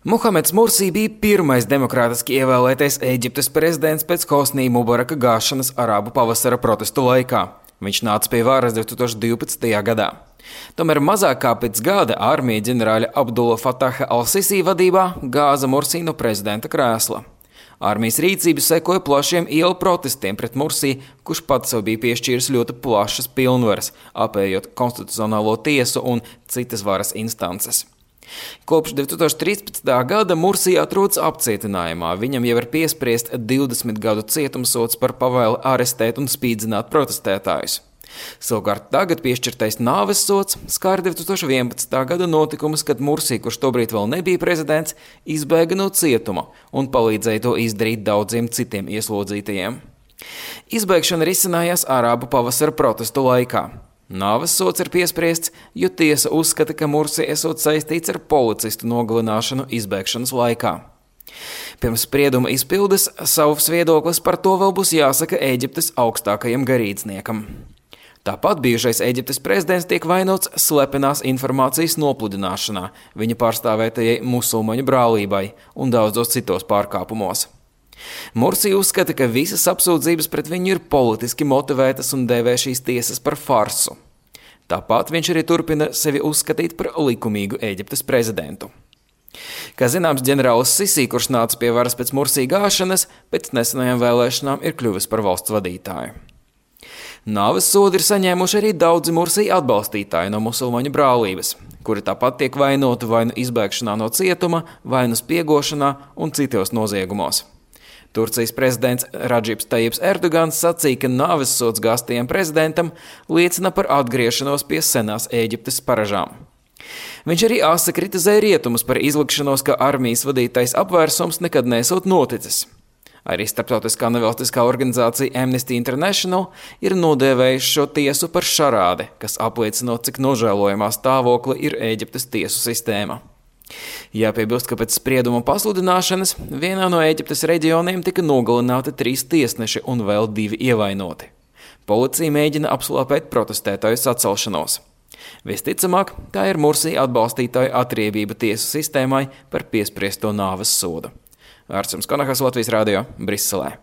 Muhameds Mursī bija pirmais demokrātiski ievēlētais Ēģiptes prezidents pēc Hosnī Mubaraka gāšanas arābu pavasara protestu laikā. Viņš nāca pie varas 2012. gadā. Tomēr mazāk kā pēc gada armija ģenerāļa Abdula Fataha al-Sisī vadībā gāza Mursī no prezidenta krēsla. Armijas rīcība sekoja plašiem ielu protestiem pret Mursī, kurš pats sev bija piešķīris ļoti plašas pilnvaras, apējot konstitucionālo tiesu un citas varas instances. Kopš 2013. gada Mursī atrodas apcietinājumā. Viņam jau ir piespriest 20 gadu cietumsods par pavēli arestēt un spīdzināt protestētājus. Savukārt tagad piešķirtais nāves sods skar 2011. gada notikumus, kad Mursī, kurš tobrīd vēl nebija prezidents, izbēga no cietuma un palīdzēja to izdarīt daudziem citiem ieslodzītajiem. Izbēgšana risinājās arābu pavasara protestu laikā. Nāves sods ir piespriests, jo tiesa uzskata, ka Mursī esot saistīts ar policistu nogalināšanu izbēgšanas laikā. Pirms sprieduma izpildes savs viedoklis par to vēl būs jāsaka Ēģiptes augstākajam garīdzniekam. Tāpat bijušais Ēģiptes prezidents tiek vainots slepenās informācijas nopludināšanā, viņa pārstāvētajai musulmaņu brālībai un daudzos citos pārkāpumos. Mursī uzskata, ka visas apsūdzības pret viņu ir politiski motivētas un dēvē šīs tiesas par farsu. Tāpat viņš arī turpina sevi uzskatīt par likumīgu Ēģiptes prezidentu. Kā zināms, ģenerālis Sisī, kurš nāca pie varas pēc Mursī gāšanas, pēc nesenajām vēlēšanām ir kļuvis par valsts vadītāju. Nāves sodu ir saņēmuši arī daudzi Mursī atbalstītāji no musulmaņu brālības, kuri tāpat tiek vainoti vai nu izbēgšanā no cietuma, vai nu spiegošanā un citos noziegumos. Turcijas prezidents Radžibs Tajips Erdogans sacīja, ka nāves sods gāztajam prezidentam liecina par atgriešanos pie senās Ēģiptes paražām. Viņš arī asa kritizēja rietumus par izlikšanos, ka armijas vadītais apvērsums nekad nesot noticis. Arī starptautiskā nevalstiskā organizācija Amnesty International ir nodēvējuši šo tiesu par šarādi, kas apliecinot, cik nožēlojamā stāvokli ir Ēģiptes tiesu sistēma. Jāpiebilst, ka pēc sprieduma pasludināšanas vienā no Ēģiptes reģioniem tika nogalināti 3 tiesneši un vēl 2 ievainoti. Policija mēģina apslāpēt protestētāju sacelšanos. Visticamāk, tā ir Mursī atbalstītāju atriebība tiesu sistēmai par piespriesto nāves sodu. Ārsts Konahas, Latvijas radio, Briselē.